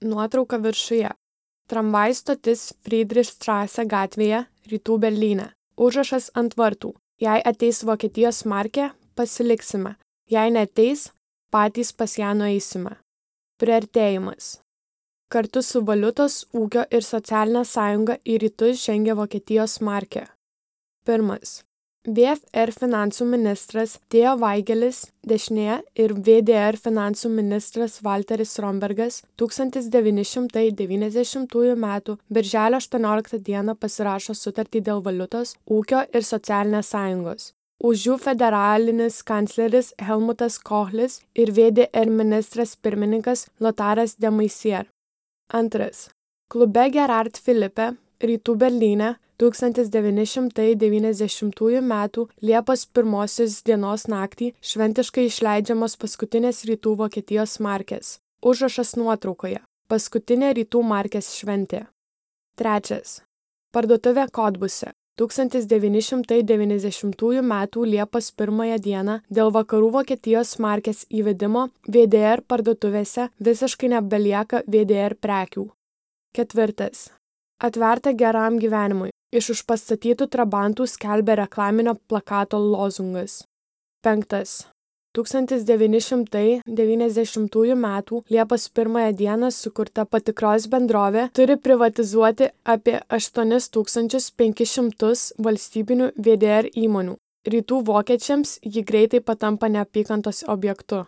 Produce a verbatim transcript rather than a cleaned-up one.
Nuotrauka viršuje. Tramvajų stotis Friedrichstraße gatvėje, Rytų Berlyne. Užrašas ant vartų. Jei ateis Vokietijos markė, pasiliksime. Jei neateis, patys pas ją nueisime. Priartėjimas. Kartu su valiutos, ūkio ir socialinė sąjunga į rytus žengia Vokietijos markė. Pirmas. V F R finansų ministras Theo Weigelis dešinėje ir V D R finansų ministras Walteris Rombergas tūkstantis devyni šimtai devyniasdešimtųjų metų birželio aštuonioliktą dieną pasirašo sutartį dėl valiutos, ūkio ir socialinės sąjungos. Už jų federalinis kancleris Helmutas Kohlis ir V D R ministras pirmininkas Lotaras de Maizière. Antras. Klube Gerard Philippe, Rytų Berlyne, tūkstantis devyni šimtai devyniasdešimtųjų metų Liepos pirmosios dienos naktį šventiškai išleidžiamos paskutinės Rytų Vokietijos markės. Užrašas nuotraukoje. Paskutinė Rytų markės šventė. Trečias. Parduotuvė Kodbuse. tūkstantis devyni šimtai devyniasdešimtųjų metų Liepos pirmąją dieną dėl Vakarų Vokietijos markės įvedimo V D R parduotuvėse visiškai nebelieka V D R prekių. Ketvirtas. Atverta geram gyvenimui. Iš užpastatytų trabantų skelbia reklaminio plakato lozungas. Penktas. tūkstantis devyni šimtai devyniasdešimtųjų metų Liepos pirmąją dieną sukurta patikros bendrovė turi privatizuoti apie aštuonis tūkstančius penkis šimtus valstybinių V D R įmonių. Rytų vokiečiams ji greitai patampa neapykantos objektu.